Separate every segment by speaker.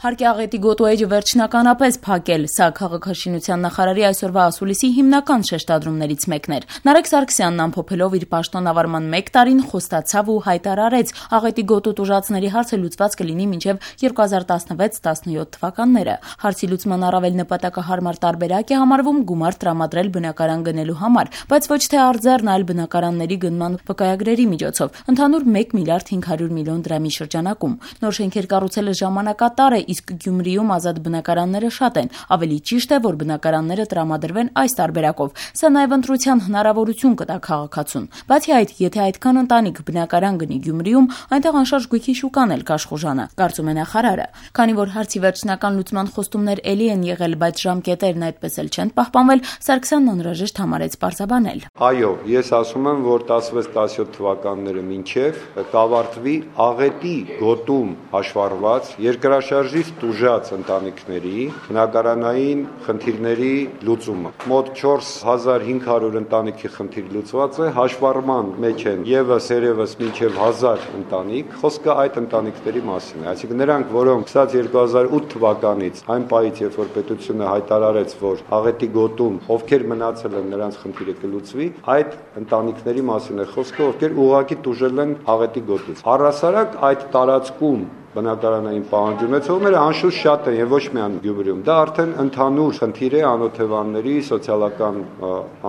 Speaker 1: Հարկ է աղետի գոտու էջը վերջնականապես փակել, սա քաղաքաշինության նախարարի այսօրվա ասուլիսի հիմնական շեշտադրումներից մեկն էր։ Նարեկ Սարգսյանն ամփոփելով իր պաշտոնավարման 1 տարին խոստացավ ու հայտարարեց, աղետի գոտու տուժածների հարցը լուծված կլինի մինչև 2016-17 թվականները։ Հարցի լուծման առավել նպատակահարմար տարբերակ է համարվում գումար տրամադրել բնակարան գնելու համար, բայց ոչ թե արձեռն, այլ բնակարանների գնման վկայագրերի միջոցով, ընդհանուր 1 միլիարդ 500 միլիոն դրամի շրջանակում։ Նոր շենքեր կառուցելը ժամանակատար է, իսկ Գյումրիում ազատ բնակարանները շատ են, ավելի ճիշտ է, որ բնակարանները տրամադրվեն այս տարբերակով, սա նաև ընտրության հնարավորություն կտա քաղաքացուն։ Բացի այդ, եթե այդքան ընտանիք բնակարան գնի Գյումրիում, այնտեղ անշարժ գույքի շուկան էլ կաշխուժանա, կարծում է նախարարը։ Քանի որ հարցի վերջնական լուծման խոստումներ էլի են եղել, բայց ժամկետերն այդպես էլ չեն պահպանվել, Սարգսյանն անհրաժեշտ համարեց պարզաբանել։
Speaker 2: Այո, ես ասում եմ, որ 16-17 թվականները մինչև կավարտվի աղետի գոտում հաշվառված երկրաշարժից տուժած ընտանիքների բնակարանային խնդիրների լուծումը։ Մոտ 4500 ընտանիքի խնդիր լուծված է, հաշվառման մեջ են եւս մինչև 1000 ընտանիք, խոսքը այդ ընտանիքների մասին է։ Այսինքն նրանք, որոնք 2008 թվականից այն պահից, երբ որ պետությունը հայտարարեց, որ աղետի գոտում ովքեր մնացել են, նրանց խնդիրը կլուծվի, այդ ընտանիքների մասին է խոսքը, ովքեր ուղղակի տուժել են աղետի գոտուց։ Առհասարակ այդ տարածքում բնակարանային պահանջ ունեցողները անշուշտ շատ են եւ ոչ միայն Գյումրիում։ Դա արդեն ընդհանուր խնդիր է անօթևանների, սոցիալական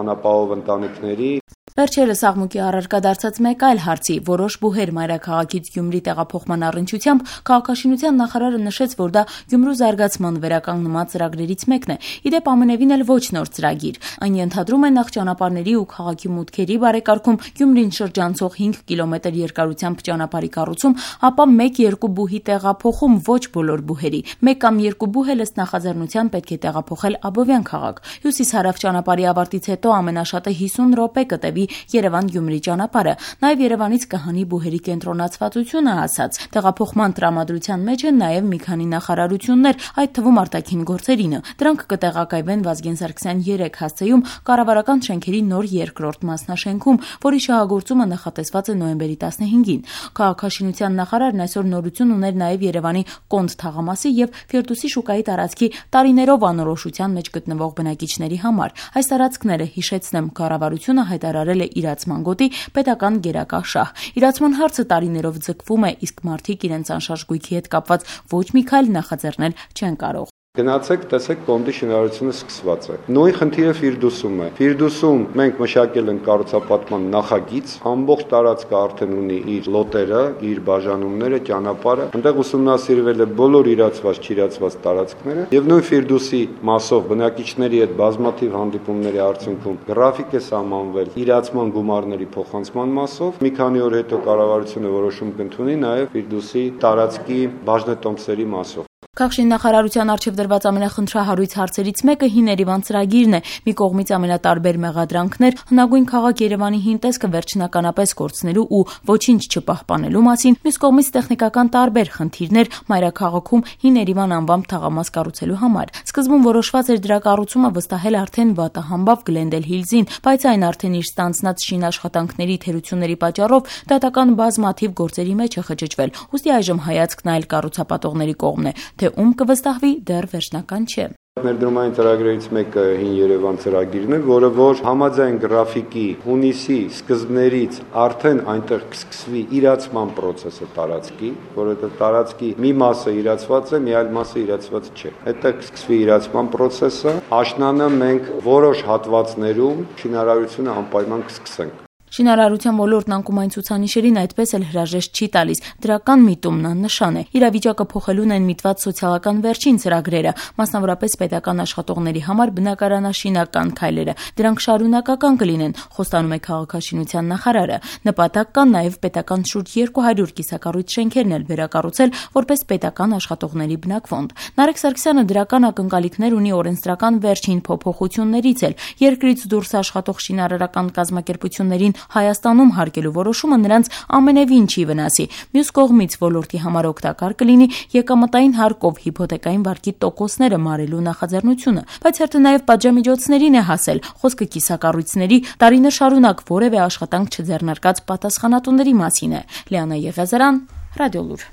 Speaker 2: անապահով ընտանիքների։
Speaker 1: Վերջերս աղմուկի առարկա դարձած մեկ այլ հարցի, որոշ բուհեր մայրաքաղաքից Գյումրի տեղափոխման առնչությամբ քաղաքաշինության նախարարը նշեց, որ դա Գյումրու զարգացման վերականգնման ծրագրերից մեկն է։ Իդեպ ամենևին էլ ոչ նոր ծրագիր։ Այն ենթադրում է նախ ճանապարհների ու քաղաքի մուտքերի բարեկարգում, Գյումրին շրջանցող 5 կիլոմետր երկարությամբ ճանապարհի կառուցում, ապա 1-2 բուհի տեղափոխում ոչ բոլոր բուհերի։ 1 կամ 2 բուհ ըստ նախաձեռնության պետք է տեղափոխել Աբովյան քաղաք։ Հյուսիս-հարավ ճանապարհի ավարտից հետո ամենաշատը 50 րոպե կտևի Երևան-Գյումրի ճանապարհը, նաև Երևանից կհանի բուհերի կենտրոնացվածությունը ասած։ Տեղափոխման տրամադրության մեջ են նաև մի քանի նախարարություններ, այդ թվում արտաքին գործերինը։ Դրանք կտեղակայվեն Վազգեն Սարգսյան 3 հասցեում կառավարական շենքերի նոր երկրորդ մասնաշենքում, որի շահագործումը նախատեսված է նոյեմբերի 15-ին։ Քաղաքաշինության նախարարն այսօր նորություն ուներ նաև Երևանի Կոնդ թաղամասի եւ Ֆիրդուսի շուկայի տարածքի տարիներով անորոշության մեջ գտնվող բնակիչների համար։ Այս տարածքները, հիշեցնեմ, կառավարությունը հայտարարել է իրացման գոտի պետական գերակա շահ։ Իրացման հարցը տարիներով ձգվում է, իսկ մարդիկ իրենց անշարժ գույքի հետ կապված ոչ մի քայլ նախաձեռնել չեն կարող։
Speaker 2: Գնացեք, տեսեք, Կոնդի շինարարությունը սկսված է։ Նույն խնդիրը Ֆիրդուսում է։ Ֆիրդուսում մենք մշակել ենք կառուցապատման նախագիծ, ամբողջ տարածքը արդեն ունի իր լոտերը, իր բաժանումները, ճանապարհը։ Այնտեղ ուսումնասիրվել է բոլոր իրացված, չիրացված տարածքները, եւ նույն Ֆիրդուսի մասով բնակիչների հետ բազմաթիվ հանդիպումների արդյունքում գրաֆիկ է սահմանվել իրացման գումարների փոխանցման մասով։ Մի քանի օր հետո կառավարությունը որոշում կընդունի նաեւ Ֆիրդուսի տարածքի բաժնետոմսերի մասով։
Speaker 1: Քաղաքաշինության արչև դրված ամենախնդրահարույց հարցերից մեկը հին Երևան ծրագիրն է։ Մի կողմից ամենատարբեր մեղադրանքներ հնագույն քաղաք Երևանի հին տեսքը վերջնականապես կորցնելու ու ոչինչ չպահպանելու մասին, մյուս կողմից տեխնիկական տարբեր խնդիրներ մայրաքաղաքում հին Երևան անվամբ թաղամաս կառուցելու համար։ Սկզբում որոշված էր դրա կառուցումը վստահել արդեն վատահամբավ Գլենդել Հիլզին, բայց այն արդեն իր ստանձնած շինաշխատանքների թերությունների պատճառով դատական բազմաթիվ գործերի մեջ է խճճվել։ Ուստի այժմ հայացքն այլ կառուցապատողների կողմն է, թե ում կվստահվի դեռ վերջնական չէ։
Speaker 2: Ներդրումային ծրագրերից մեկը հին Երևան ծրագիրն է, որը որ համաձայն գրաֆիկի հունիսի սկզբներից արդեն այնտեղ կսկսվի իրացման process-ը տարածքի, որովհետև տարածքի մի մասը իրացված է, մի այլ մասը իրացված չէ։ Այդտեղ կսկսվի իրացման process-ը, աշնանը մենք որոշ հատվածներում շինարարությունը անպայման կսկսենք։
Speaker 1: Շինարարության ոլորտն անկումային ցուցանիշերին այդպես էլ հրաժեշտ չի տալիս։ Դրական միտումն աննշան է։ Իրավիճակը փոխելուն են միտված սոցիալական վերջին ծրագրերը, մասնավորապես պետական աշխատողների համար բնակարանաշինական քայլերը։ Դրանք շարունակական կլինեն, խոստանում է քաղաքաշինության նախարարը։ Նպատակ կան նաև պետական շուրջ 200 կիսակառույց շենքերն էլ վերակառուցել որպես պետական աշխատողների բնակֆոնդ։ Նարեկ Սարգսյանը դրական ակնկալիքներ ունի օրենսդրական վերջին փոփոխություններից էլ։ Երկրից դուրս աշխատող շինարարական կազմակերպություններին Հայաստանում հարկելու որոշումը նրանց ամենևին չի վնասի։ Մյուս կողմից ոլորտի համար օգտակար կլինի եկամտային հարկով հիփոթեկային վարկի տոկոսները մարելու նախաձեռնությունը, բայց հերթը նաև պատժամիջոցներին է հասել։ Խոսքը կիսակառույցների տարիներ շարունակ որևէ աշխատանք չձեռնարկած պատասխանատուների մասին է։ Լիանա Եղիազարյան, Ռադիոլուր։